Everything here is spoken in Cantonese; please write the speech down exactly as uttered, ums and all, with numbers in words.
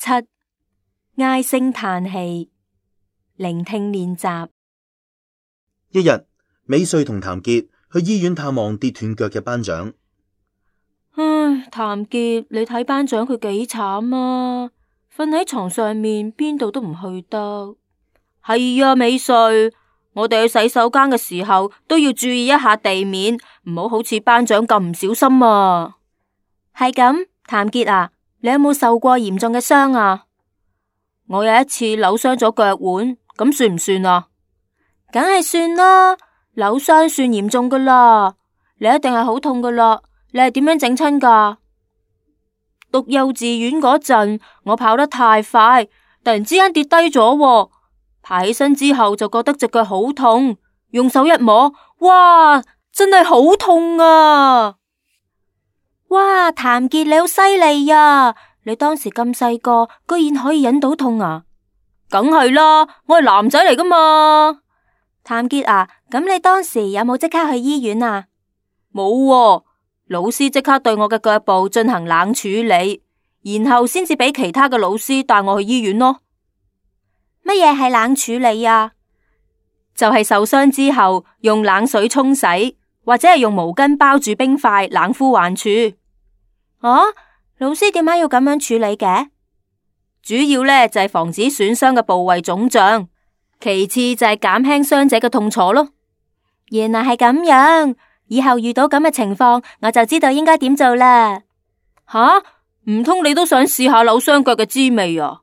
七、唉聲嘆氣，聆聽練習。一日，美穗同譚傑去醫院探望跌斷腳嘅班長。唉，譚傑，你睇班長佢幾慘啊！瞓喺床上面，邊度都唔去得。係啊，美穗，我哋去洗手間嘅時候都要注意一下地面，唔好好似班長咁唔小心啊。係咁，譚傑啊，你有冇受過嚴重嘅傷啊？我有一次扭傷咗腳腕，咁算唔算啊？梗係算啦，扭傷算嚴重噶啦，你一定係好痛噶啦。你係點樣整親噶？讀幼稚園嗰陣，我跑得太快，突然之間跌低咗，爬起身之後就覺得隻腳好痛，用手一摸，哇，真係好痛啊！哇，譚傑你好犀利呀！你當時咁細個，居然可以忍到痛啊？梗係啦，我係男仔嚟噶嘛。譚傑啊，咁你當時有冇即刻去醫院啊？冇喎，老師即刻對我嘅腳部進行冷處理，然後先至俾其他嘅老師帶我去醫院咯。乜嘢係冷處理啊？就係受傷之後用冷水沖洗，或者係用毛巾包住冰塊冷敷患處。啊，老師點解要咁樣處理嘅？主要呢就係防止損傷嘅部位腫脹，其次就係減輕傷者嘅痛楚咯。原來係咁樣，以後遇到咁嘅情況，我就知道應該點做啦。吓，唔通你都想試下扭傷腳嘅滋味啊？